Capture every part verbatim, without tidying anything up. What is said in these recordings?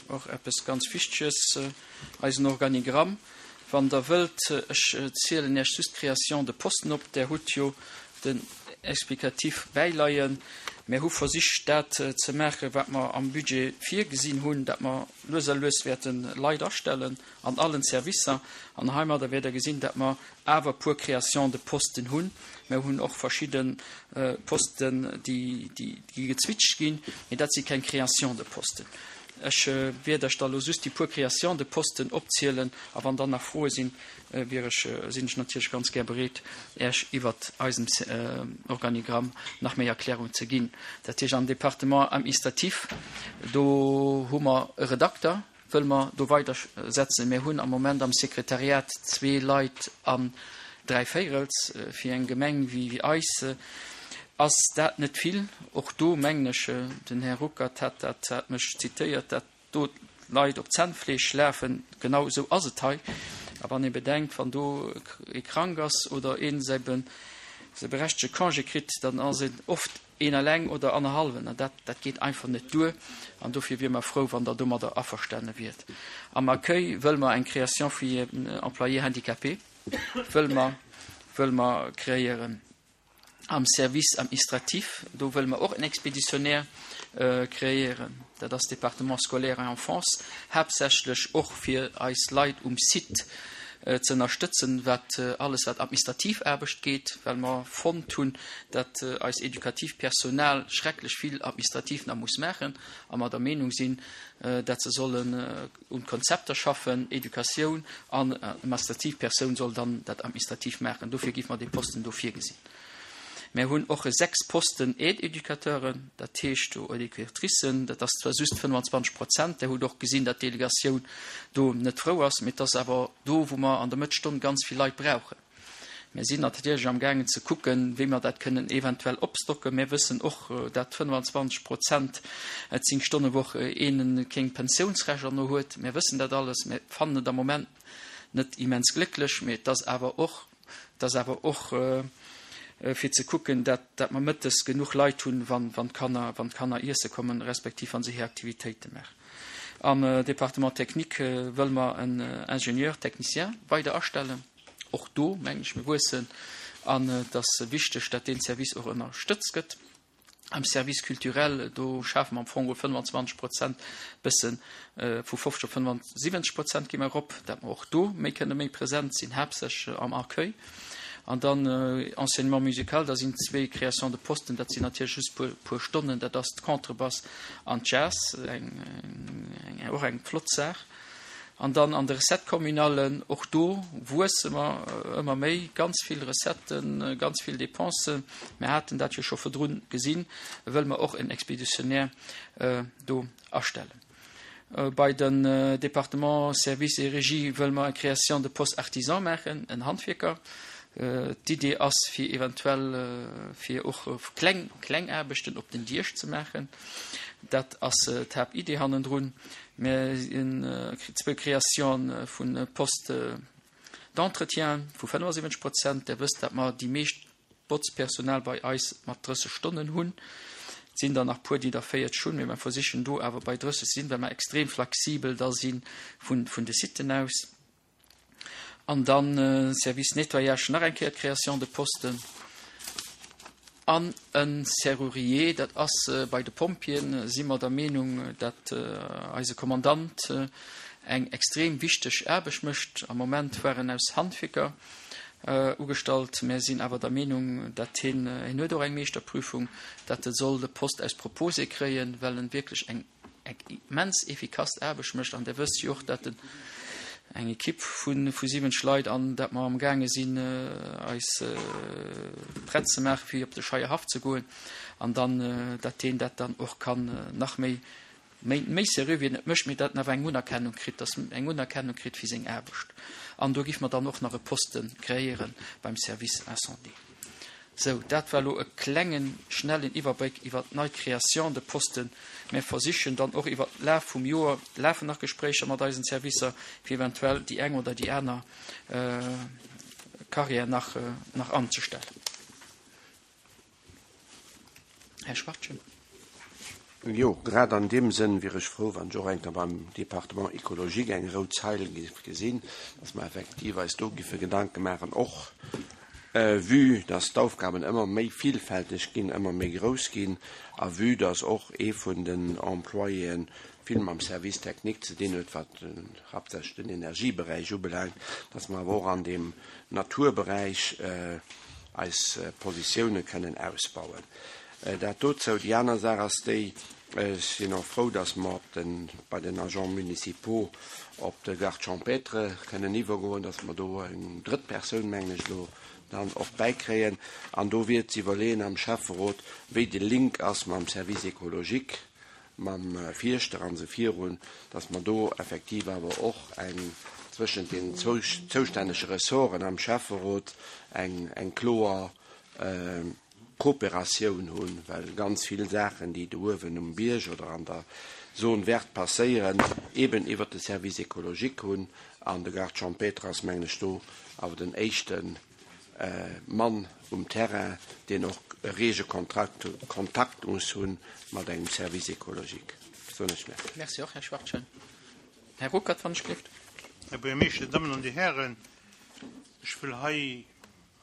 Och eppes ganz Wichteges, eisen Organigramm. Wann Der wëllt, ech zielen Iech just d'Création de posten op. Der hutt jo den Explicatif bäileien. Mir hu versicht, dat ze maachen, wat mer am Budget virgesinn hunn, dat mer lues a lues wäerte Leit astellen an allen Servicer. An heimadder wäert Der gesinn, dat mer awer e puer Créations de posten hunn. Mir hunn och verschidde Posten, déi gezwitscht ginn, mee dat si keng Créations de posten. Ech wäert Iech da elo just déi puer Créations de posten opzielen, a wann dann nach Froe sinn, wier ech, sinn ech natierlech ganz gär bereet, Iech iwwert eisem Organigramm nach méi Erklärung ze ginn. Dat heescht, am Département administratif, do hu mer e Redakter, wëlle mer do weidersetzen. Mir hunn am Moment am Sekretariat zwee Leit an dräi Véirels. Fir eng Gemeng wéi eis ass dat net vill. Och do mengen ech, den Här Ruckert hat dat, hat mech zitéiert, dat do d'Leit op Zännfleesch lafen. Genau esou ass et hei. A wann ee bedenkt, wann do ee krank ass oder ee säi berechtege Congé kritt, dann ass een oft een eleng oder annerhallwen. An dat, dat geet einfach net duer. An dofir wiere mer frou, wann Der domadder averstane wiert. Am Accueil wëlle mer eng Création fir en Employé handicapé wëlle mer, wëlle mer kreéieren. Am Service administratif, do wëlle mer och en Expéditionnaire kreéieren. Dat ass Département scolaire et enfance, haaptsächlech och fir eis Leit um Site ze ënnerstëtzen, wat alles wat administrativ Aarbecht geet, well mer fonnt hunn, dat eis edukativ Personal schrecklech vill administrativ nach muss maachen a mer der Meenung sinn, dat se sollen un Konzepter schaffen, Educatioun, an administrativ Persoun soll dann dat administrativ maachen. Dofir géife mer dee Posten do virgesinn. Mir hunn och sechs Posten Aide-Educateuren, dat heescht do Educatricen, dat ass zwar just fënnwanzwanzeg Prozent, Der hutt och gesinn, datt d'Delegatioun do net frou ass, mee et ass awer do, wou mer an der Mëttesstonn ganz vill Leit brauchen. Mir sinn natierlech am gaangen ze kucken, wéi mer dat kënnen eventuell opstocken. Mir wëssen och, dat fënnwanzwanzeg Prozent zéng-Stonne-Woch een keng Pensiounsrechter no huet. Mir wëssen dat alles. Mir fannen et am Moment net immens glécklech, mee et ass awer och, et ass awer och fir ze kucken, dat, dat mer mëttes genuch Leit hunn, wann, wann d'Kanner, wann d'Kanner iesse kommen, respektiv wann se hir Aktivitéite maachen. Am Département technique wëlle mer en Ingénieur technicien weider astellen. Och do, mengen ech, mir wuessen an et ass wichteg, dat deen Service och ënnerstëtzt gëtt. Am Service culturel, do schafe mer am Fong fënnwanzwanzeg Prozent, bëssen vu fofzeg op fënnensiwwenzeg Prozent gi mer erop, dat mer och do méi kënne méi present sinn, haaptsächlech am Accueil. An dann Enseignement musical, da sinn zwee Créations de posten, dat sinn natierlech just puer, puer Stonnen, dat ass d'Contrebass an d'Jazz, eng, eng, och eng flott Saach. An dann an de Recette-communallen, och do wuesse mer ëmmer méi, ganz vill Recetten, ganz vill Dépensen. Mir haten dat jo scho virdrun gesinn, wëlle mer och en Expéditionnaire do astellen. Bei den Département Services et Régie wëlle mer eng Création de poste artisan maachen, en Handwierker. D'Idee ass fir eventuell fir och kleng, kleng Aarbechten op den Diech ze maachen. Dat ass d'Haaptidee hannendrun. Mir sinn zwou Création vu Poste d'entretien vu fënnensiwwenzeg Prozent. Der wësst, dat mer déi meescht Botzpersonal bei eis mat drësseg Stonnen hunn. Et sinn der nach puer, déi der véierzeg hunn, mee mer versichen do awer bei drësseg sinn, well mer extrem flexibel da si vun, vun de Siten aus. An dann Service Nettoyage, nach eng Kéier d'Création de Posten. An e Serrurier, dat ass bei de Pompjeeën, si mer der Meenung, dat eise Kommandant eng extrem wichteg Aarbecht mécht. Am Moment war en aus Handwierker ugestallt. Mir sinn awer der Meenung, dat hien, hien huet och eng Meeschterprüfung, dat e soll de Poste aus Proposé kréien, well en wierklech eng immens efficace Aarbecht mécht. An Der wësst jo och, dat en eng Ekipp vu vu siwwenzeg Leit an dat mer am gaange sinn eis prett ze maache fir op de Scheierhaff ze goen an dann dat deen dat dann och kann nach méi méi méi seriö wéi en et mécht, mee dat en awer eng Unerkennung kritt, dass en eng Unerkennung kritt fir seng Aarbecht. An do giff mer dann och nach e Poste kreéiere beim Service Incendie. Sou, dat war elo e klengen, schnellen Iwwerbléck iwwer d'nei Création de Posten. Mir versichen dann och iwwer d'Laf vum Joer, lafen nach Gespréicher mat eisen Servicer, fir eventuell déi eng oder déi aner Carrière nach, nach anzestellen. Här Schwartgen. Jo, grad an deem Sënn wier ech frou, wann ech och eng Kéier beim Département écologique eng rout Zeil géif gesinn, dass mer effektiv eis do géife Gedanke maachen, och vue dass d'Aufgaben ëmmer méi vielfälteg ginn, ëmmer méi grouss ginn, a vue dass och ee vun den Employéen vill mam Service technique ze dinn huet, wat haaptsächlech den Energieberäich ubelaangt, dass mer awer och an deem Naturberäich eis Positioune kënnen ausbauen. Dat dozou. Déi aner Saach ass déi, ech sinn och frou, dass mer op den, bei den Agents municipaux op de Garde champêtre kënnen iwwergoen, dass mer do eng drëtt Persoun, mengen ech, elo dann och bäikréien. An do wier ze iwwerleeën am Schäfferot, wéi de Link ass mam Service écologique, mam Fierschter an esou virun, dass mer do effektiv awer och eng zwëschent den zoustännege Ressorten am Schäfferot eng, eng kloer Kooperatioun hunn, well ganz vill Saachen, déi do uewen um Bierg oder an der Zone verte passéieren, eben iwwert de Service écologique hunn. An de Garde champêtre ass, mengen ech, do awer den éischte Mann um Terrain, deen och e rege Kontrakt, Kontakt muss hu mat engem Service écologique. Soen ech Merci. Merci och, Här Schwachtgen. Här Ruckert, wann ech gelift. Här Buergermeeschter, Dammen an Dir Hären, ech wëll hei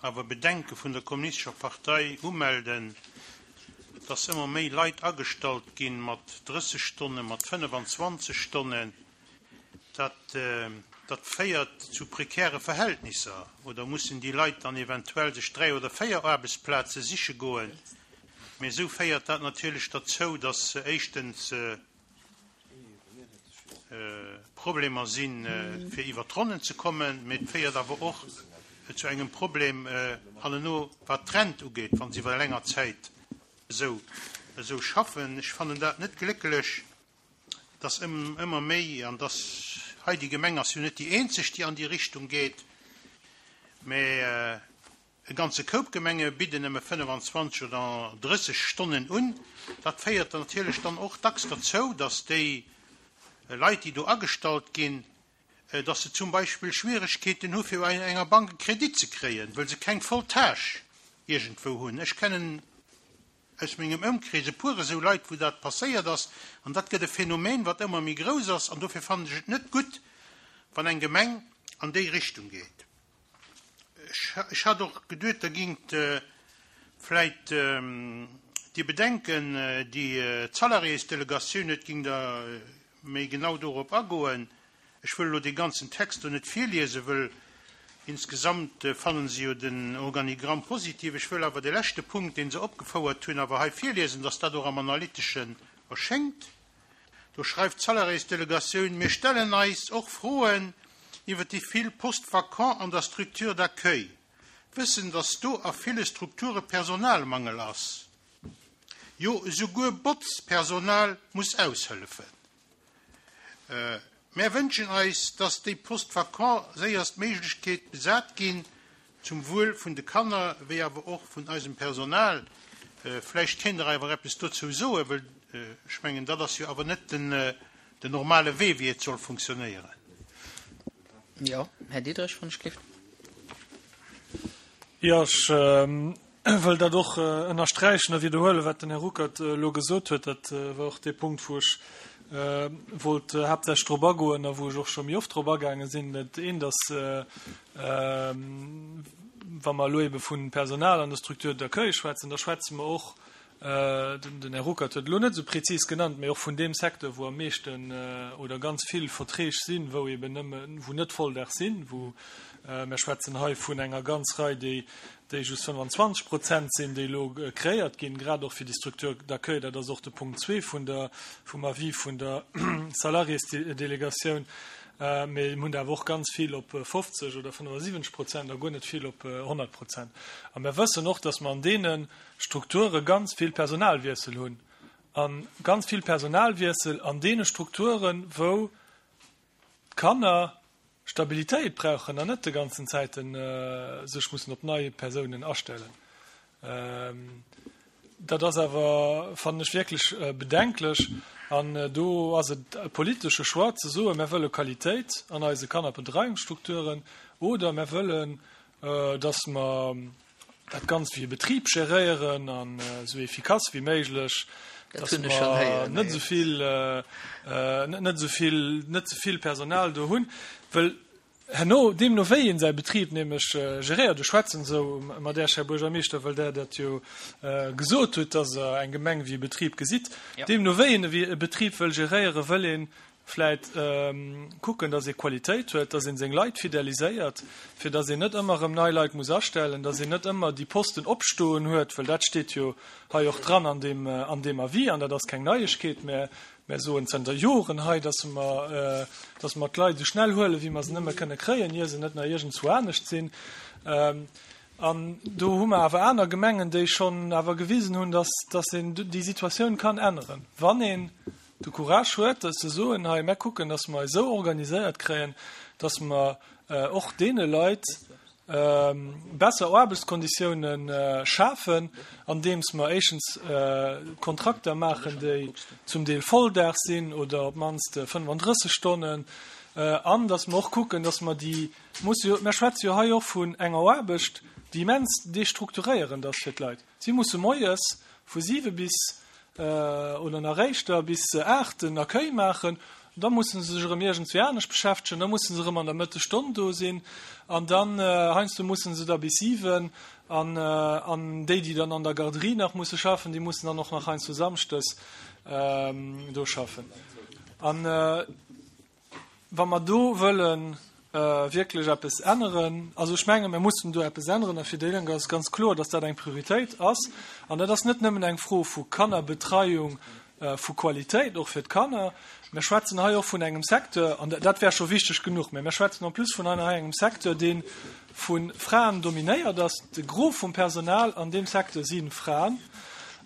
awer Bedenke vun der Kommunistescher Partei umelden, dass ëmmer méi Leit agestallt ginn mat drësseg Stonnen, mat fënnefenzwanzeg Stonnen. Dat, dat féiert zu prekäre Verhältnisser. Oder mussen déi Leit dann eventuell sech dräi oder véier Aarbechtsplaze siche goen? Mee esou féiert dat natierlech derzou, dass éischtens Problemer sinn, fir iwwer d'Ronnen ze kommen, mee et féiert awer och zu engem Problem hanneno, wat d'Rent ugeet, wa se iwwer länger Zäit esou esou schaffen. Ech fannen dat net glécklech, dass ëmmer méi, an dass hei déi Gemeng ass jo net déi eenzeg, déi an déi Richtung geet, mä e ganze Koup Gemenge bidden nëmme fënnefenzwanzeg oder drësseg Stonnen un. Dat féiert natierlech dann och dacks derzou, dass déi Leit, déi do agestallt ginn, dass se zum Beispill Schwieregkeeten hu fir bei enger Bank e Kredit ze kréien, wëll se keng voll Tâche iergendwou hunn. Ech kennen aus mengem Ëmkrees e puer esou Leit, wou dat passéiert ass, an dat gëtt e Phänomen, wat ëmmer méi grouss ass, an dofir fannen ech et net gutt, wann eng Gemeng an déi Richtung geet. Ech hat och geduet, Der gingt vläit déi Bedenken, déi d'Salariésdelegatioun huet, gingt Der méi genau dorop agoen. Ech wëll elo dee ganzen Text do net virliesen, wëll insgesamt fannen se jo den Organigramm positiv. Ech wëll awer de leschte Punkt, dee se opgefouert hunn, awer hei virliesen, dass dat och am Analyteschen erschéngt. Do schreift d'Salariésdelegatioun, Mir stellen eis och Froen iwwer déi vill Postes vacants an der Structure d'accueil, wëssend, dass do a ville Strukture Personalmangel ass. Jo, esouguer Botzpersonal muss aushëllefen. Mär wënschen eis, dass déi Postes vacants séierstméiglechkeet besat ginn, zum Wuel vun de Kanner wéi awer och vun eisem Personal. Vläicht kéint Der awer eppes dozou soen, wëll ech mengen, dat ass jo awer net den normale Wee, wéi et soll funktionéieren. Jo, Här Diderich, wann ech gelift. Jo, ech wëll dat och ënnersträichen a widderhuelen, wat den Här Ruckert elo gesot huet. Dat war och dee Punkt, wou ech wollt haaptsächlech drop agoen a wou ech och scho méi oft drop agaange sinn. Dat eent ass, wa mer elo ebe vu Personal an der Structure d'accueil schwätzen, da schwätze mer och, den Här Ruckert huet elo net esou prezis genannt, mee och vun deem Secteur, wou am meeschten oder ganz vill Verträg sinn, wou eben nëmme, wou net Volldag sinn, wou mer schwätzen hei vun enger ganz Rei, déi déi just fënnwanzwanzeg Prozent sinn, déi elo kreéiert ginn, grad och fir déi Structure d'accueil. Dat ass och de Punkt zwee vun der, vum Avis vun der Salariésdelegatioun. Mee mir hunn der awer och ganz vill op fofzeg oder fënnefasiwwenzeg Prozent a guer net vill op honnert Prozent. A mir wëssen och, dass mer an deene Strukture ganz vill Personalwiessel hunn a ganz vill Personalwiessel an deene Strukturen, wou d'Kanner Stabilitéit brauchen an net de ganzen Zäiten sech mussen op nei Persounen astellen. Dat ass awer, fannen ech, wierklech bedenklech. An do ass et e politesche Choix ze soen, mir wëlle Qualitéit an eise Kannerbedreiungsstrukturen oder mir wëllen, dass mer dat Ganzt wéi e Betrib geréieren an esou efficace wéi méiglech Dass mer net esou vill, net esou vill, net ze vill Personal do hunn, well herno, deemno wéi een säi Betrib nämlech geréiert, ech schwätzen esou mat Iech, Här Buergermeeschter, well Der dat jo gesot hutt, dass Der eng Gemeng wéi e Betrib gesitt, deemno wéi een e Betrib wëll geréieren, wëll ee vläit kucken, dass ee Qualitéit huet, dass ee seng Leit fideliséiert, fir dass een net ëmmer erëm nei Leit muss astellen, dass een net ëmmer déi Posten opstoen huet, well dat steet jo hei och dran an deem, an deem Avis, an dat ass keng Neiegkeet, mä mär soen zënter Joren hei, dass mer, dass mer d'Leit esou schnell huelen, wéi mer se nëmme kënne kréien, ier se net nach iergendzwou anescht sinn. An do hu mer awer aner Gemengen, déi schonn awer gewisen hunn, dass, dass een déi Situatioun kann änneren, wann een de Courage huet, ze soen, hei, mär kucken, dass mer eis esou organiséiert kréien, dass mer och deene Leit besser Aarbechtskonditiounen schafen, andeems mer éischtens Kontrakter maachen, déi zum Deel Volldag sinn oder op d'mannst fënnefandrësseg Stonnen, an dass mer och kucken, dass mer déi musse jo, mer schwätze jo hei och vun enger Aarbecht, déi immens destrukturéierend ass fir d'Leit. Si musse moies vu siwe bis oder nach éischter bis aacht den Accueil maachen, da musse se sech erëm iergendswéi anescht beschäftegen, da musse se erëm an der Mëttesstonn do sinn an dann heiansdo musse se da bis siwen an an déi, déi dann an der Garderie nach musse schaffen, déi mussen dann och nach heiansdo samschdes do schaffen. An wa mer do wëlle wierklech eppes änneren, also ech menge mer mussen do eppes änneren a fir déi Lénk ass ganz kloer, datt dat eng Prioritéit ass an dat ass net nëmmen eng Fro vu Kannerbetreiung, vu Qualitéit och fir d'Kanner. Mer schwätzen hei och vun engem Secteur, an dat wär scho wichteg genuch, mä mer schwätzen en plus vun hei engem Secteur, dee vu Fraen dominéiert ass. De Gros vum Personal an deem Secteur si Fraen.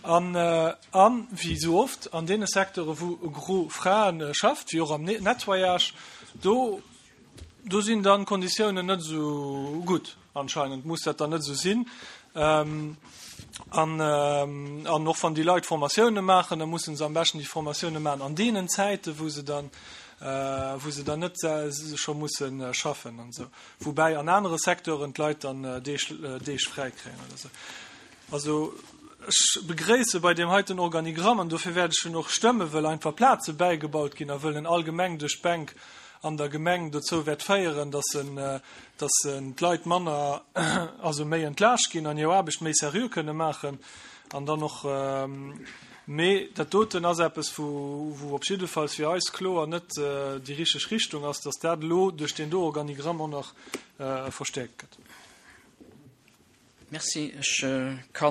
An, an wéi esou oft an deene Secteure wou e Gros Frae schafft, wéi och am Nettoyage, do, do sinn dann d'Konditiounen net esou gutt. Anscheinend muss dat dann net esou sinn. An, an och wann déi Leit Formatioune maachen, da musse se am beschten déi Formatioune maachen an deenen Zäiten, wou se dann, wou se dann net scho musse schaffen an esou. Woubäi an anere Secteuren d'Leit dann Deeg, Deeg fräi kréien oder esou. Also ech begréisse bei deem heiten Organigramm, an dofir wäert ech en och stëmmen, wëll einfach Plaze bäigebaut ginn a wëll en allgemeng duerch d'Bänk an der Gemeng dozou wäert féieren, dass en, dass en d'Leit manner, also méi entlaascht ginn an hir Aarbecht méi seriö kënne maachen an dann och, mee dat doten ass eppes, wou, wou op jiddefalls fir eis kloer net déi richteg Richtung ass, dass dat elo duerch deen do Organigramm och nach verstäerkt gëtt. Merci. Ech ka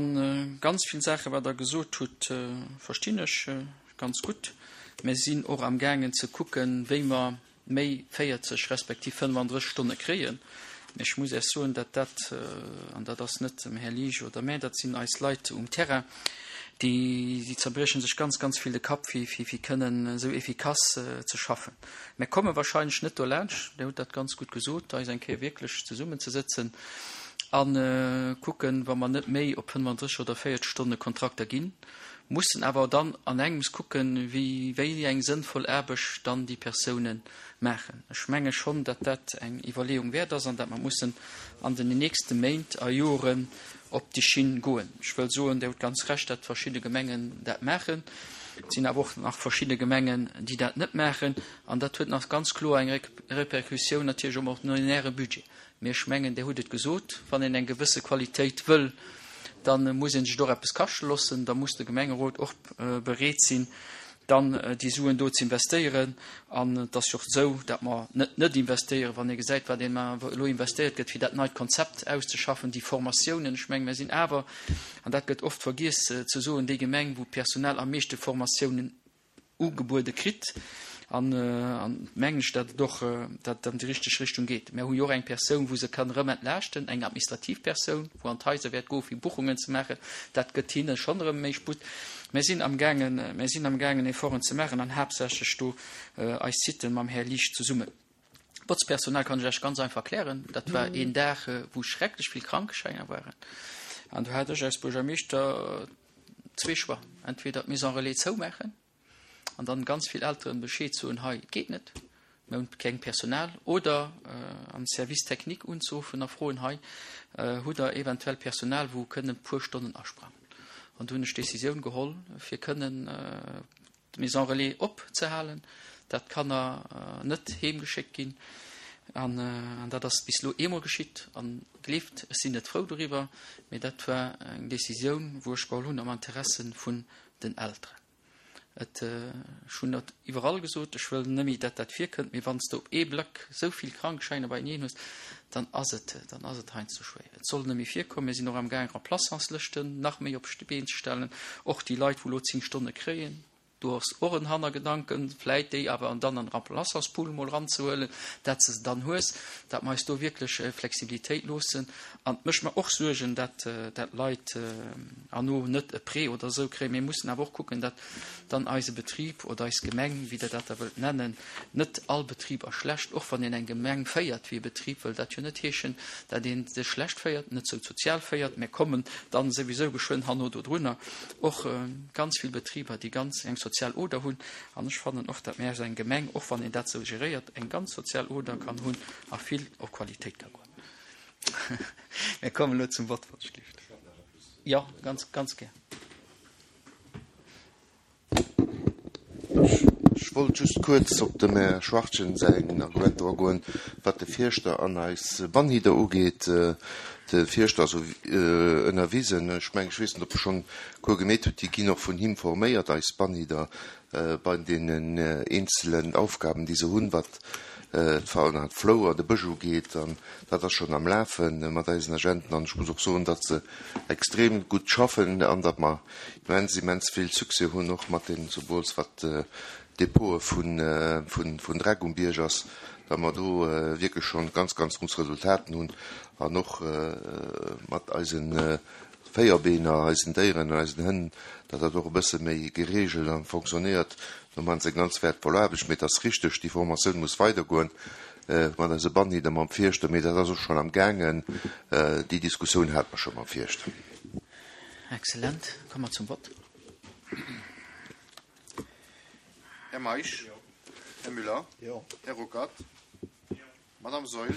ganz vill Saache wat Der gesot hutt, verstinn ech ganz gutt. Mir sinn och amgaangen ze kucken, wéi mer méi véierzeg respektiv fënnefandrësseg Stonne kréien. Mä ech muss Iech soen, datt dat, an dat ass net dem Här Liesch oder mär, dat sinn eis Leit um Terrain, déi, déi zerbrieche sech ganz, ganz vill de Kapp, fir, fir, fir kënnen esou efficace ze schaffen. Mir komme wahrscheinlech net dolaanscht, Dir hutt dat ganz gutt gesot, eis eng Kéier wierklech zesummenzesëtzen a kucken, wa mer net méi op fënnefandrësseg oder véierzeg Stonne Kontrakter ginn, mussen awer dann an engems kucken, wéi, wéi eng sënnvoll Aarbecht dann déi Persounen maachen. Ech menge schonn, datt dat eng Iwwerleeung wäert ass an datt mer mussen an den nächste Méint a Joren op déi Schinn goen. Ech wëll soen, Dir hutt ganz Recht, datt verschidde Gemengen dat maachen. Et sinn awer och nach verschidde Gemengen, déi dat net maachen. An dat huet nach ganz kloer eng Répercussioun natierlech um ordinäre Budget. Mee ech mengen, Dir hutt et gesot, wann een eng gewësse Qualitéit wëll, da muss ee sech och eppes kaschte loossen, da muss de Gemengerot och bereet sinn, dann déi Suen do ze investéieren. An et ass jo och esou, datt mer net net investéieren, wann ee gesäit, wat elo investéiert gëtt, fir dat neit Konzept auszeschaffen, déi Formatiounen. Ech mengen, mir sinn awer, an dat gëtt oft vergiess ze soen, déi Gemeng, wou d'Personal am meeschte Formatiounen ugebuede kritt. An mengen ech, datt et och datt et an déi richteg Richtung geet. Mir hu jo och eng Persoun, wou se kann erëm entlaaschten, eng administrativ Persoun, wou an d'Haiser wäert goe fir Buchungen ze maachen. Dat gëtt hinne schonn erëm méi Sputt. Mir sinn amgaangen, mir sinn amgaangen Efforten ze maachen an haaptsächlech do eis Siten mam Här Liesch zesummen. D'Botzpersonal kann ech lech ganz einfach erklären. Dat war een Dag, wou schrecklech vill Krankeschäiner waren. An do hat ech als Buergermeeschter zwee Choix, entweder d'Maison relais zoumaachen, an dann ganz vill Elteren Bescheed soen, hei, et geet net, mir hunn keng Personal, oder am Service technique unzeruffen a froen, hei, hutt Der eventuell Personal, wou kënnen e puer Stonnen asprangen. An do hunn ech d'Decisioun geholl, fir kënnen d'Maison relais opzehalen, dat d'Kanner net heemgeschéckt ginn. An dat ass bis elo eemol geschitt. An gleeft, ech sinn net frou doriwwer, mee dat war eng Decisioun, wou ech geholl hunn am Interesse vun den Elteren. Et, ech hunn dat iwwerall gesot, ech wëll net méi, dat dat virkënnt, mee wann s de op ee Black esou vill Krankschäiner beieneen hues, dann ass et, dann ass et heiansdo schwéier. Et soll net méi virkommen. Mir sinn och amgaang, Remplaçantslëschten nach méi op d'Been ze stellen, och déi Leit, wou elo zéng Stonne kréien. Do ass och en Hannergedanken, vläit déi awer dann an Remplaçantspool mol eranzehuelen, dat s de se dann hues, dat mer eis do wierklech Flexibilitéit loossen. An et mécht mer och Suergen, dat dat Leit herno net e Prêt oder esou kréien. Mir mussen awer och kucken, dat dann eise Betrib oder eis Gemeng, wéi Der dat da wëllt nennen, net all Betrib ass schlecht, och wann een eng Gemeng féiert wéi e Betrib, wëll dat jo net heeschen, dat ee se schlecht féiert, net sou sozial féiert. Mir kommen dann souwisou geschwënn herno dodrunner. Och ganz vill Betriber, déi ganz eng sozial Oder hunn. An ech fannen och, datt mir als eng Gemeng, och wann een dat esou geréiert, eng ganz sozial Oder kann hunn a vill op Qualitéit ka goen. Mir kommen elo zum Vott, wann ech gelift. Jo, ganz, ganz gär. Ech wollt just kuerz op dem Här Schwachtgen säin Argument do agoen, wat de Fierschter an eis Bannhider ugeet. De Fierschter ass ënnerwisen. Ech mengen, ech weess net, ob e schonn Cours gemeet huet. Déi ginn och vun him forméiert, eis Bannhider, bei deenen eenzelen Aufgaben, déi se hunn, wat d'Fauna an d'Flour, de Bësch ugeet. An dat ass schonn am Lafe mat eisen Agenten. An ech muss och soen, datt se extrem gutt schaffen an datt mer immens, immens vill Succès hunn, och mat deenen, zemools wat d'Depote vun Dreck um Bierg ass, datt mer do wierklech schonn ganz, ganz gutt Resultaten hunn an och mat eise Véierbeener, eisen Déieren an eisen Hënn, datt dat och e bësse méi geregelt a fonctionnéiert. Do maachen se eng ganz wäertvoll Aarbecht. Mee et ass richteg, déi Formatioun muss weidergoen mat eise Bannhider, mam Fierschter. Mee dat ass och schonn am gaangen. Déi Diskussioun hate mer scho mam Fierschter. Excellent. Komme mer zum Vott. Här Meisch? Här Müller? Här Ruckert? Madame Saeul?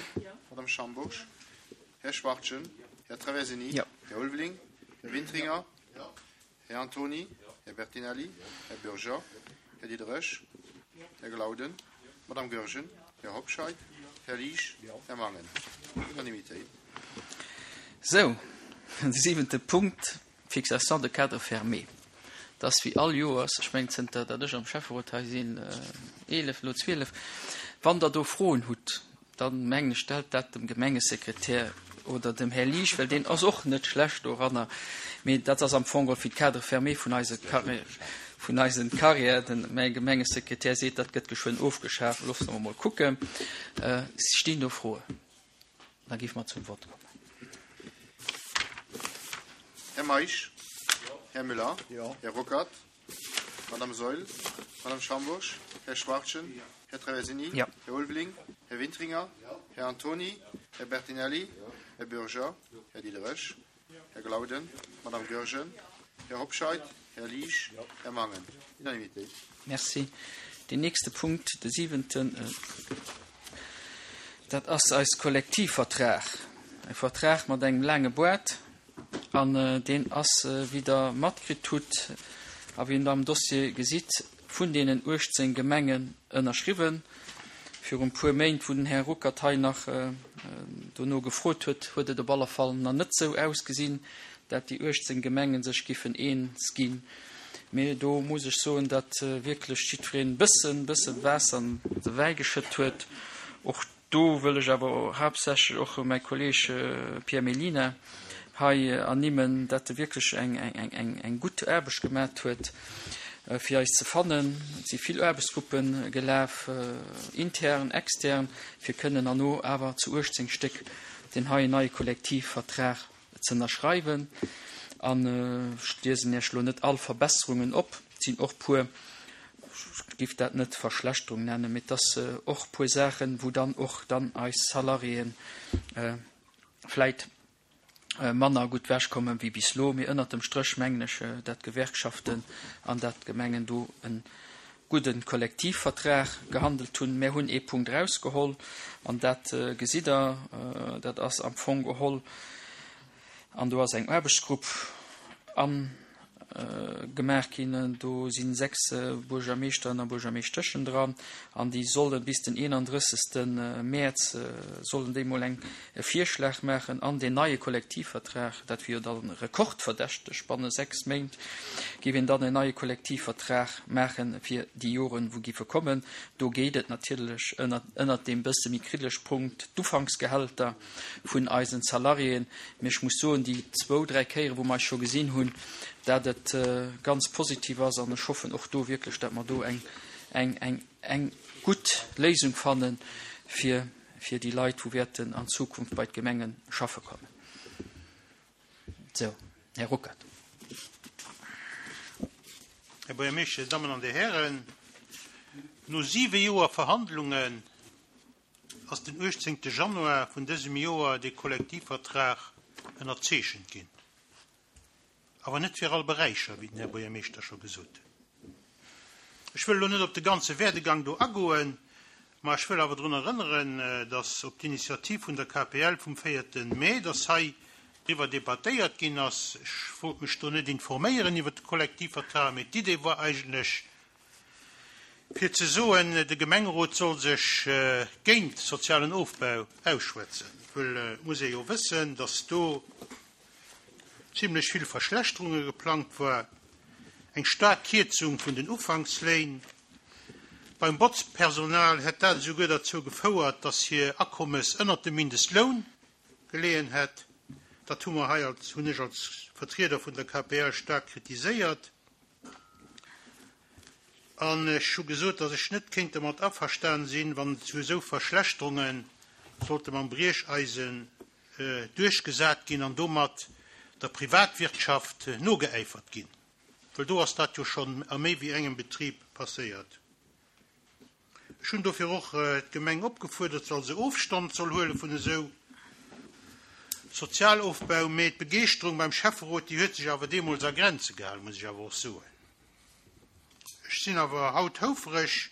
Madame Schambourg? Här Schwachtgen? Här Traversini? Här Ulveling? Här Wintringer? Här Antony? Här Bertinelli? Här Bürger? Här Diderich? Här Glauden? Madame Goergen? Här Hobscheit? Här Liesch? Här Mangen? Unanimitéit. Sou, de siwente Punkt, Fixation de cadre fermé. Et ass wéi all Joers, ech mengen zënter datt ech am Schäfferot hei sinn, eelef, elo zwielef, wann Der do Froen hutt, dann mengen ech stellt dat dem Gemengesekretär oder dem Här Liesch, well deen ass och net schlecht doranner, mee dat ass am Fong geholl fir d'Cadre fermé vun eise Carrière, vun eisen Carrière. Den, mäi Gemengesekretär seet, dat gëtt geschwënn ofgeschaf. Loosse mer mol kucken. Stinn do Froen? Da géife mer zum Vott kommen. Här Meisch? Här Müller? Här Ruckert? Madame Saeul? Madame Schambourg? Här Schwachtgen? Här Traversini? Här Ulveling? Här Wintringer? Här Antony? Här Bertinelli? Här Bürger? Här Diderich? Här Glauden? Madame Goergen? Här Hobscheit? Här Liesch? Här Mangen? Unanimitéit. Merci. Deen nächste Punkt, de siwenten, dat ass eis Kollektivvertrag. E Vertrag mat engem laange Boart. An deen ass, wéi Der matkritt hutt a wéi Der am Dossier gesitt, vun deenen uechtzéng Gemengen ënnerschriwwen. Virun e puer Méint, wou den Här Ruckert hei nach dono gefrot huet, huet et op alle Fall nach net esou ausgesinn, dat déi uechtzéng Gemenge sech giffen eens ginn. Mee do muss ech soen, dat wierklech jiddwereen e bëssen, bësse Waasser an de Wäi geschëtt huet. Och do wëll ech awer haaptsächlech och mäi Kolleeg Pierre Mellina hei ernimmen, dat e wierklech eng gutt Aarbecht gemat huet, fir eis ze fannen. Et si vill Aarbechtsgruppe gelaf, intern, extern, fir kënnen herno awer zu uechtzéng Stéck deen heien neie Kollektivvertrag ze ënnerschreiwen. An ech liesen Iech elo net all Verbesserungen op. Et sinn och puer, ech géif dat net Verschlechterung nennen, mee et ass och puer Saachen, wou dann och dann eis Salariéen vläit manner gutt wechkommen wéi bis elo. Mee ënnert dem Stréch mengen ech, dat d'Gewerkschaften an dat d'Gemengen do e gudde Kollektivvertrag gehandelt hunn. Mär hunn ee Punkt erausgeholl, an dat gesitt Der, dat ass am Fong geholl, an do ass eng Aarbechtsgrupp an gemaach ginn. Do si sechs Buergermeeschteren a Buergermeeschteschen dran an déi solle bis den eenandrëssegste Mäerz sollen déi mol eng e Virschlag maachen an deen neie Kollektivvertrag, dat wier jo dann rekordverdächteg, banne sechs Méint géif een dann en neie Kollektivvertrag maache fir déi Joren, wou géife kommen. Do geet et natierlech ënnert, ënnert deem bësse méi kriddeleg Punkt, d'Ufanksgehälter vun eisen Salariéen. Mee ech muss soen, déi zwou, dräi Kéiere wou mer eis scho gesinn hunn, dat et ganz positiv ass an ech hoffen och do wierklech, dat mer do eng, eng, eng, eng gutt Léisung fanne fir, fir déi Leit, wou wäerten an Zukunft bei d'Gemenge schaffe kommen. Sou, Här Ruckert. Här Buergermeeschter, Dir Dammen an Dir Hären, no siwe Joer Verhandlungen ass den uechtzéngte Januar vun dësem Joer dee Kollektivvertrag ënnerzeechent ginn. Awer net fir all Beräicher, wéi den Här Buergermeeschter scho gesot huet. Ech wëll elo net op de ganze Werdegang do agoen, ma ech wëll awer drun erënneren, dass op d'Initiativ vun der K P L vum véierte Mee, dass hei driwwer debattéiert ginn ass. Ech wollt mech do net informéieren iwwer de Kollektivvertrag, mee d'Idee war eigentlech, fir ze soen, de Gemengerot soll sech géint sozialen Ofbau ausschwätzen. Well et muss ee jo wëssen, dass do zimlech vill Verschlechterunge geplangt war, eng staark Kierzung vun den Ufanksléin. Beim Botzpersonal hätt dat esouguer derzou gefouert, dass hir Akommes ënnert dem Mindestloun geleeën hätt. Dat hu mer hei als, hunn ech als Vertrieder vun der K P L staark kritiséiert. An ech hu gesot, dass ech net kéint domat averstan sinn, wann et zu esou Verschlechterunge sollte mam Briecheisen duerchgesat ginn an domat der Privatwirtschaft nogeäifert ginn. Well do ass dat jo schonn a méi wéi engem Betrib passéiert. Ech hunn dofir och d'Gemeng opgefuerdert, soll se Ofstand soll huele vun esou Sozialofbau. Mee d'Begeeschterung beim Schäfferot, déi huet sech awer deemools a Grenze gehalen, muss ech awer och soen. Ech sinn awer haut houfereg,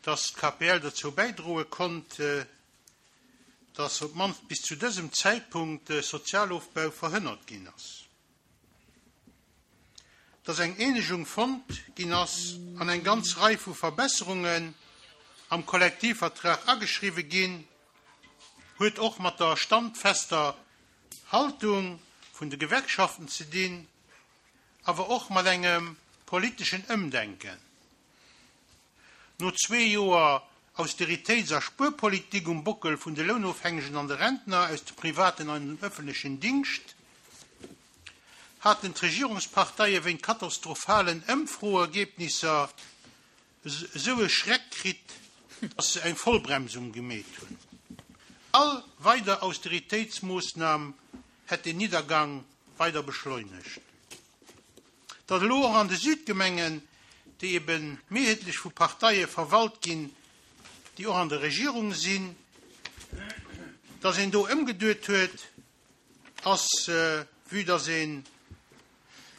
dass d'K P L dozou bäidroe konnt, dass op d'mannst bis zu dësem Zäitpunkt Sozialofbau verhënnert ginn ass. Dass eng Eenegung fonnt ginn ass an eng ganz Rei vu Verbesserungen am Kollektivvertrag ageschriwwe ginn, huet och mat der standfester Haltung vun de Gewerkschaften ze dinn, awer och mat engem politeschen Ëmdenken. No zwee Joer Austeritéits- a Spuerpolitik um Bockel vun de Lounofhängegen an de Rentner aus dem privaten an dem ëffentlechen Dingscht haten d'Regierungsparteie wéint katastrophalen Ëmfroergebnisser esou e Schreck kritt, dass se eng Vollbremsung gemeet hunn. All weider Austeritéitsmoossnam hätt den Niddergang weider beschleunegt. Datt elo och an de Südgemengen, déi eben mehrheetlech vu Parteie verwalt ginn, déi och an der Regierung sinn, dass een do ëmgeduet huet, ass, vue dass ee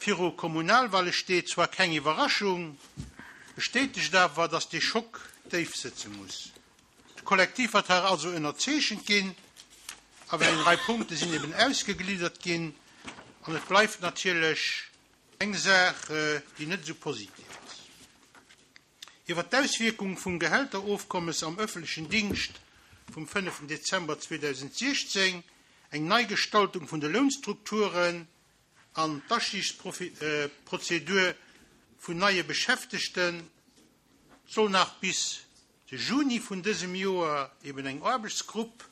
viru Kommunalwale steet, zwar keng Iwwerraschung, bestätegt awer, dass dee Schock déif sëtze muss. De Kollektivvertrag also ënnerzeechent ginn, awer eng Rei Punkte sinn eben ausgegliddert ginn an et bleift natierlech eng Saach, déi net esou positiv ass. Iwwer d'Auswierkung vum Gehälterofkommes am ëffentlechen Dingscht vum fënneften Dezember zweedausendsiechzéng, eng Neigestaltung vun de Lounstrukturen an d'Astigsprozedur vun neie Beschäftegten, soll nach bis de Juni vun dësem Joer eben eng Aarbechtsgrupp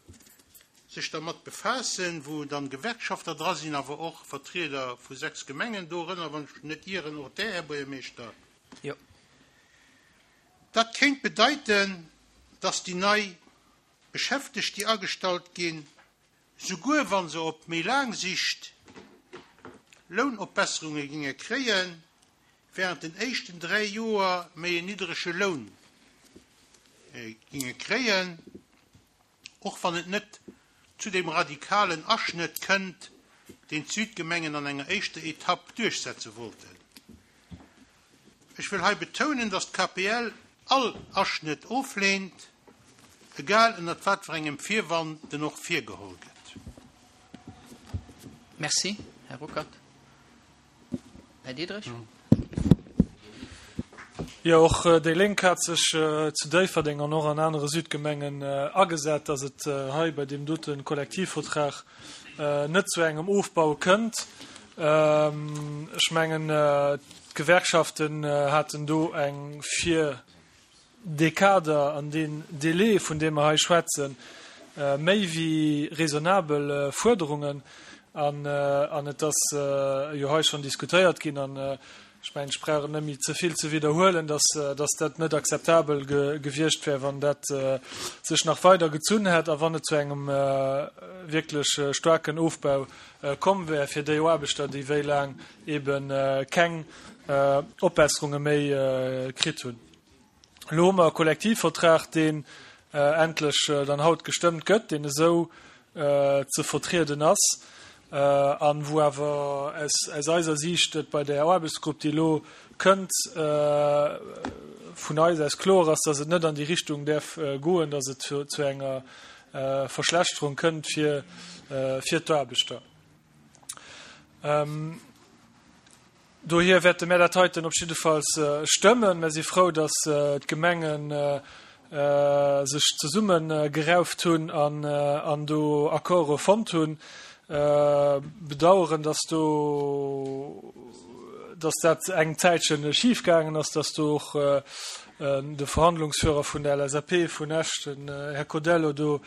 sech dermat befaassen, wou dann Gewerkschafter dra sinn, awer och Vertrieder vu sechs Gemengen, dorënner, wann ech net ieren, och där, Här Buergermeeschter. Jo. Dat kéint bedeiten, dass déi nei Beschäftegt, déi agestallt ginn, souguer wa se op méi laang Sicht Lounopbesserunge ginge kréien, während den éischten dräi Joer méi en niddrege Loun ginge kréien, och wann et net zu dem radikalen Aschnëtt kënnt, deen d'Südgemengen an enger éischter Etapp duerchsetze wollten. Ech wëll hei betounen, dass d'K P L all Aschnëtt ofleent, egal ënnert wat fir engem Virwand den och virgeholl gëtt. Merci, Här Ruckert. Här Diderich. Jo, och déi Lénk hat sech zu Déifferdeng an och an anere Südgemengen agesat, dass et hei bei deem dote Kollektivvertrag net zu engem Ofbau kënnt. Ech mengen, d'Gewerkschaften haten do eng fir dee Kader an deen Délai, vun deem mer hei schwätzen, méi wéi raisonnabel Fuerderungen. An et ass jo hei schonn diskutéiert ginn, an ech mengen, ech brauch et net méi ze vill ze widderhuelen, dass dat net akzeptabel gewiescht wär, wann dat sech nach weider gezunn hätt a wann et zu engem wierklech staarken Ofbau komm wär fir déi Aarbechter, déi wéi laang ebe keng Opbesserunge méi kritt hunn. Elo hu mer e Kollektivvertrag, deen endlech dann haut gestëmmt gëtt, deen esou ze vertrieden ass a wou awer aus eiser Siicht et bei där Aarbechtsgrupp, déi elo kënnt, vun eis aus kloer ass, dass et net an déi Richtung däerf goen, dass et zu enger Verschlechterung kënnt fir d'Aarbechter. Dohier wäerte mär dat heiten op jiddefalls stëmmen. Mär si frou, dass d'Gemenge sech zesummegerauft hunn an do Accorde fonnt hunn. Bedauern, dass do, dass dat eng Zäitche schifgaangen ass, dass do och de Verhandlungsführer vun der L S A P vun Esch, den Här Codello, do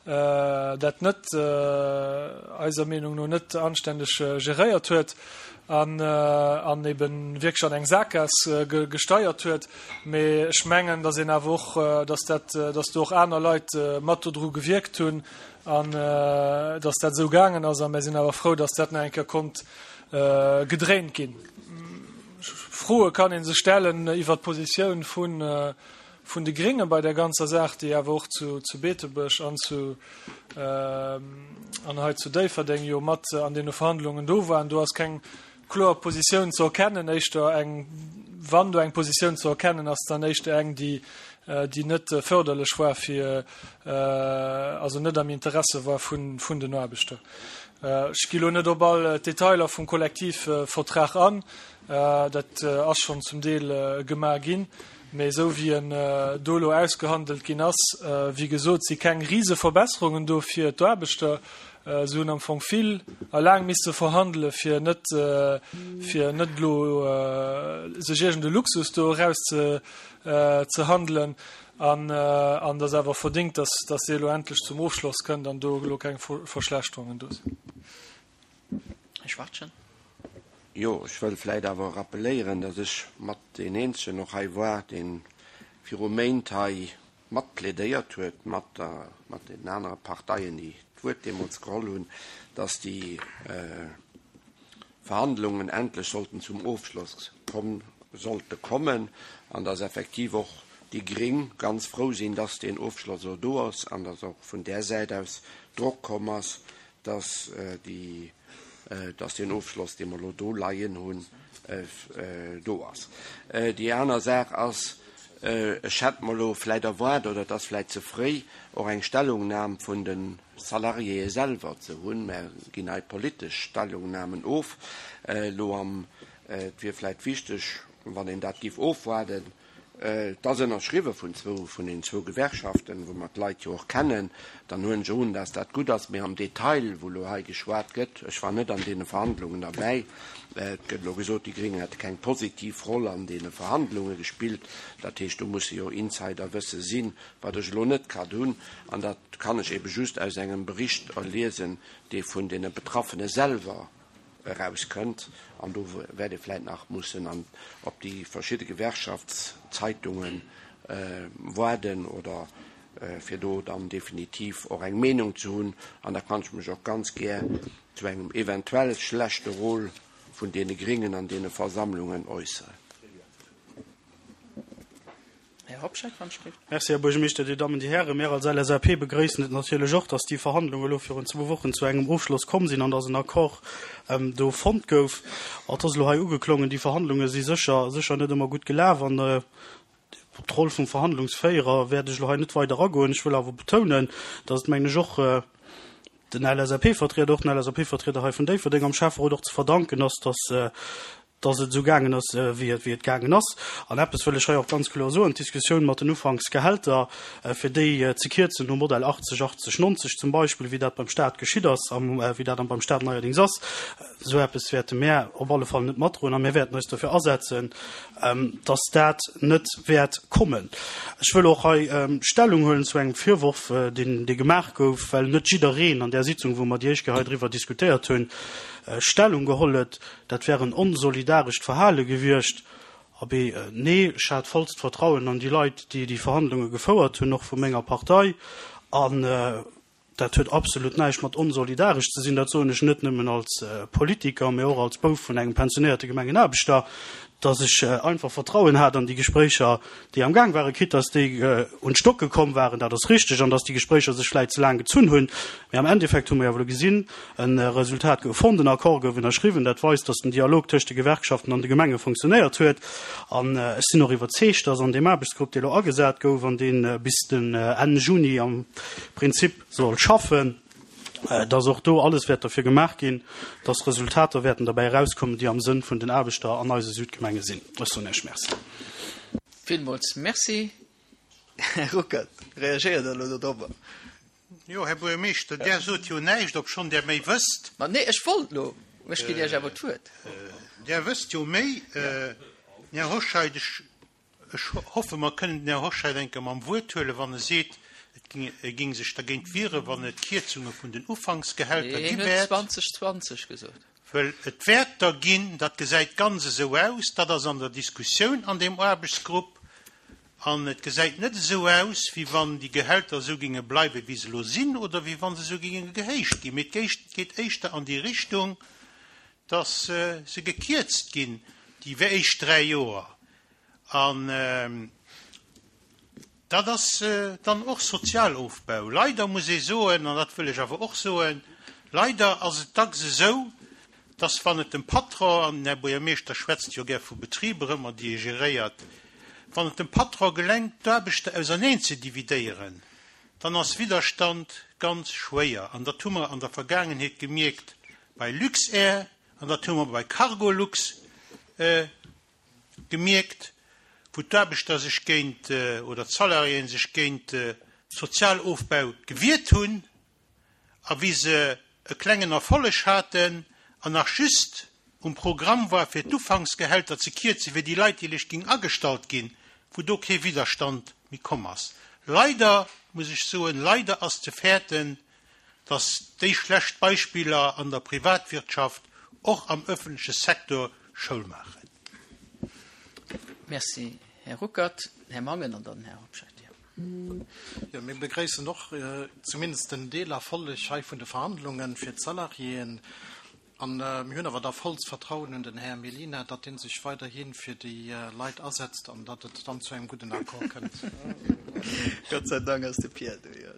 dat net, eiser Meenung no, net anständeg geréiert huet an, an eben wierklech an eng Saakgaass gesteiert huet. Mee ech mengen, dass een awer och, dass dat, dass do och aner Leit mat dodru gewierkt hunn an dass dat esou gaangen ass. A mir sinn awer frou, dass dat nach eng Kéier konnt gedréint ginn. Froe kann een sech stellen iwwer d'Positioun vun, vun de Grénge bei der ganzer Saach, déi awer och zu, zu Beetebuerg an zu, an hei zu Déifferdeng jo mat an deene Verhandlungen do waren. Do ass keng kloer Positioun ze erkennen, éischter eng, wann do eng Positioun ze erkennen ass, dann éischter eng, déi, déi net förderlech war fir, also net am Interesse war vun, vun den Aarbechter. Ech gi lo net op all d'Detailer vum Kollektivvertrag an, dat ass schonn zum Deel gemaach ginn, mee esou wéi en do elo ausgehandelt ginn ass, wéi gesot, si keng Riseverbesserungen do fir d'Aarbechter. Se hunn am Fong vill a laang misse verhandele fir net, fir net elo sech iergend e Luxus do eraus ze, ze handelen. An, an dat ass awer verdingt, dass, dass dee elo endlech zum Ofschloss kënnt an do elo keng Verschlechterungen do sinn. Här Schwachtgen. Jo, ech wëll vläicht awer rappeléieren, dass ech mat deen Eenzegen och hei war, deen viru Méint hei mat plädéiert huet, mat der, mat den anere Parteien, déi d'Wuert deemools geholl hunn, dass déi Verhandlungen endlech sollten zum Ofschloss komm, sollte kommen an dass effektiv och déi Gréng ganz frou sinn, dass deen Ofschloss elo do ass an dass och vun där Säit aus Drock komm ass, dass déi, dass deen Ofschloss, dee mer elo do leien hunn, do ass. Déi aner Saach ass, ech hätt mer elo vläicht erwaart, oder et ass vläicht ze fréi, och eng Stellungnam vun de Salariéë selwer ze hunn. Mer ginn hei politesch Stellungnamen of. Elo am, et wier vläicht wichteg, wann een dat géif ofwaarden. Et ass ënnerschriwwe vun zwou, vun den zwou Gewerkschaften, wou mer d'Leit jo och kennen. Dann huelen ech un, dass dat gutt ass. Mee am Detail, wou elo hei geschwat gëtt, ech war net an deene Verhandlungen derbäi, et gëtt elo gesot, déi Gréng hätte keng positiv Roll an deene Verhandlunge gespillt. Dat heescht, do musse jo Insiderwësse sinn, wat ech elo net grad hunn. An dat kann ech ebe just aus engem Bericht erliesen, dee vun deene Betraffene selwer erauskënnt. An do wäert ee vläicht nach mussen an op déi verschidde Gewerkschaftszeitungen waarden oder fir do dann definitiv och eng Meenung ze hunn. An da kann ech mech och ganz gär zu engem eventuell schlechte Rôle vun deene Gréngen an deene Versammlungen äusseren. Här Hobscheit, wann ech dierft. Merci, Här Buergermeeschter, Dir Dammen, Dir Hären. Mir als L S A P begrëissen et natierlech och, dass déi Verhandlungen elo virun zwou Wochen zu engem Ofschloss komm sinn an dass en Accord do fonnt gouf. Et ass elo hei ugeklongen, déi Verhandlunge si sécher, sécher net ëmmer gutt gelaf an op d'Roll vum Verhandlungsféierer wäert ech elo hei net weider agoen. Ech wëll awer betounen, dass et, mengen ech, och den L S A P-Vertrieder, och den L S A P-Vertrieder hei vun Déifferdeng am Schäfferot och ze verdanken ass, dass, dass et esou gaangen ass, wéi et, wéi et gaangen ass. An eppes wëll ech hei och ganz kloer soen, D'Diskussioun mat den Ufanksgehälter, fir déi ze kierzen nom Modell achtzeg, achtzeg, nonzeg zum Beispill, wéi dat beim Stat geschitt ass a wéi dat beim Stat neierdings ass, esou eppes wäerte mär op alle Fall net matdroen a mir wäerten eis dofir asetzen, dass dat net wäert kommen. Ech wëll och hei Stellung huelen zu engem Virworf, deen, dee gemaach gouf, well net jiddereen an där Sitzung, wou mer déi éischt Kéier hei driwwer diskutéiert hunn, Stellung geholl huet, dat wär en onsolidarescht Verhale gewiescht. Abee, nee, ech hat vollst Vertrauen an déi Leit, déi déi Verhandlunge gefouert hunn, och vu menger Partei. An dat huet absolut näischt mat onsolidaresch ze sinn. Dat soen ech net nëmmen als Politiker, mee och als Bouf vun engem pensionéierte Gemengenaarbechter, dass ech einfach Vertrauen hat an déi Gespréicher, déi am Gaang waren, quitte dass déi un d'Stocke komm waren, dat ass richteg, an dass déi Gespréicher sech vläicht ze laang gezunn hunn. Mee am Endeffekt hu mer jo elo gesinn, e Resultat gouf fonnt, en Accord gouf ënnerschriwwen, dat weist, dass den Dialog tëscht de Gewerkschaften an de Gemenge funktionéiert huet. An ech sinn och iwwerzeegt, dass an deem Aarbechtsgrupp, dee elo agesat gouf an dee bis den Enn Juni am Prinzip soll schaffen, dass och do alles wäert derfir gemaach ginn, dass Resultater wäerten derbäi erauskommen, déi am Sënn vun den Aarbechter an eise Südgemenge sinn. Ech soen Iech Merci. Villmools Merci. Här Ruckert, reagéiert Der elo dodrobber? Jo, Här Buergermeeschter, Der sot jo näischt, obschonn Der méi wësst. Ma nee, ech wollt elo, ech ginn Iech awer d'Wuert. Der wësst jo méi. Här Hoscheit, ech Ech hoffe mer kënnen den Här Hoscheit eng Kéier mam Wuert huelen, wann e seet, et ging, e ging sech dergéint wieren, wann et Kierzunge vun den Ufanksgehälter gi Hien huet wäert. zwanzeg zwanzeg gesot. Well et wäert der ginn, dat gesäit ganz esou aus, dat ass an der Diskussioun an deem Aarbechtsgrupp, an et gesäit net esou aus, wéi wann déi Gehälter esou ginge bleiwen, wéi se elo sinn, oder wéi wa se esou ginge gehéicht ginn. Mee et geet éischter an déi Richtung, dass se gekierzt ginn, déi éischt dräi Joer. An dat ass dann och Sozialofbau. Leider muss ee soen, an dat wëll ech awer och soen, leider ass et dacks esou, dass wann et dem Patron, an den Här Buergermeeschter schwätzt jo gär vu Betriber ëmmer, déi e geréiert, wann et dem Patron gelengt, d'Aarbechter auserneen ze dividéieren, dann ass Widderstand ganz schwéier. An dat hu mer an der Vergaangenheet gemierkt bei Luxair an dat hu mer bei Cargolux gemierkt, wou d'Aarbechter sech géint, oder d'Salariéen sech géint Sozialofbau gewiert hunn a wéi se e klengen Erfolleg haten an nach just um Programm war fir d'Ufanksgehälter ze kierzen fir déi Leit, déi lech géing agestallt ginn, wou do kee Widderstand méi komm ass. Leider, muss ech soen, leider ass ze fäerten, dass déi schlecht Beispiller an der Privatwirtschaft och am öffentleche Secteur Schoul maachen. Merci, Här Ruckert. Här Mangen an dann Här Hobscheit. Jo, mir begréissen och zumindest den Deelerfolleg hei vun de Verhandlungen fir d'Salariéen. An mir hunn awer da vollst Vertrauen un den Här Mellina, datt dee sech weiderhi fir déi Leit asetzt an datt et dann zu engem gudden Accord kënnt. Gott sei Dank ass de Pierre do, jo.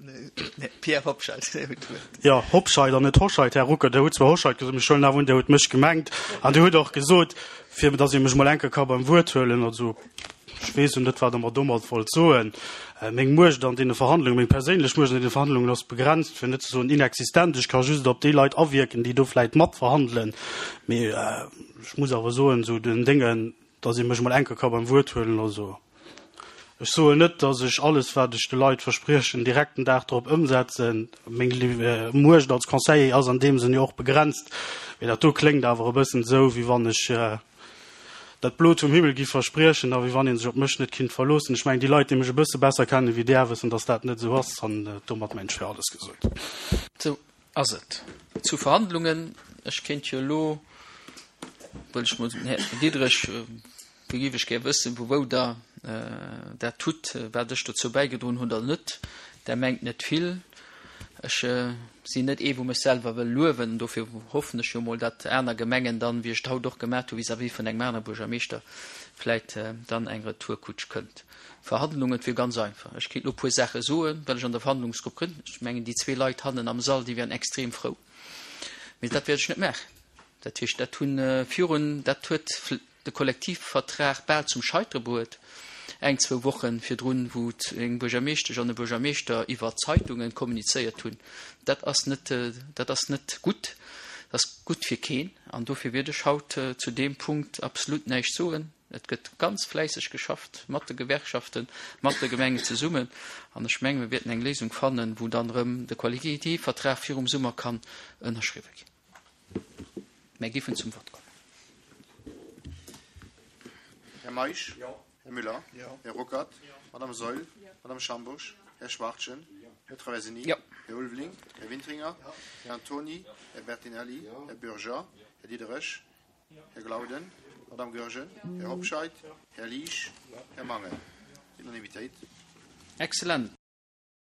Nee, Pierre Hobscheit, Dir hutt d'Wuert. Jo, Hobscheit an net Hoscheit, Här Ruckert. Der hutt zwar Hoscheit gesot, mee ech huelen awer un, Der hutt mech gemengt. An Dir hutt och gesot, fir datt ee mech mol eng Kéier ka beim Wuert huelen. Also, ech weess jo net, wat Der mer domat wollt soen. Meng Muecht an deene Verhandlungen, meng perséinlech Muecht an deene Verhandlungen ass begrenzt, fir net ze soen inexistent. Ech ka just op déi Leit awierken, déi do vläicht matverhandelen. Mee ech muss awer soen, esou den Déngen, datt ee mech mol eng Kéier ka beim Wuert huelen, also ech soen net, datt ech alles, wat ech de Leit verspriechen, direkt den Dag drop ëmsetzen. Meng Muecht als Conseiller ass an deem Sënn jo och begrenzt. Mee dat do kléngt awer e bëssen esou, wéi wann ech dat Blot vum Himmel giff verspriechen a wéi wann ee sech op mech net kinnt verloossen. Ech mengen, déi Leit, déi mech e bësse besser kennen wéi Där, wëssen, datt dat net esou ass. An domat mengen ech, wär alles gesot. Sou ass et. Zu Verhandlungen, ech kéint jo elo, wëll ech mol den Här Diderich, do géif ech gär wëssen, vu wou Der dat hutt, wat ech dozou bäigedroen hunn oder net. Der mengt net vill. Ech sinn net ee wou mech selwer wëll luewen, dofir hoffen ech jo mol, datt aner Gemengen dann, wéi ech et haut och gemat hu vis-à-vis vun engem anere Buergermeeschter, vläit dann eng Retourkutsch kënnt. Verhandlungen, et wier ganz einfach, ech kéint elo e puer Saache soen, well ech an der Verhandlungsgrupp gënn. Ech mengen déi zwee Leit hannen am Sall, déi wären extrem frou, mee dat wäert ech net maachen. Dat heescht, dat hu virun, dat huet de Kollektivvertrag bal zum Scheitere bruet, eng, zwou Woche virdrun, wou eng Buergermeeschtesch an e Buergermeeschter iwwer Zeitungen kommunizéiert hunn. Dat ass net, dat ass net gutt. Dat ass gutt fir keen an dofir wäert ech haut zu deem Punkt absolut näischt soen. Et gëtt ganz fläisseg geschafft mat de Gewerkschaften, mat de Gemengen zesummen an ech mengen, mir wäerten eng Léisung fannen, wou dann erëm de Kollektivvertrag virum Summer kann ënnerschriwwe ginn. Mär géifen zum Vott kommen. Här Meisch? Här Müller? Här Ruckert? Madame Saeul? Madame Schambourg? Här Schwachtgen? Här Traversini? Här Ulveling? Här Wintringer? Här Antoni? Här Bertinelli? Här Bürger? Här Diderich? Här Glauden? Madame Goergen? Här Hobscheit? Här Liesch? Här Mangen? Unanimitéit. Excellent.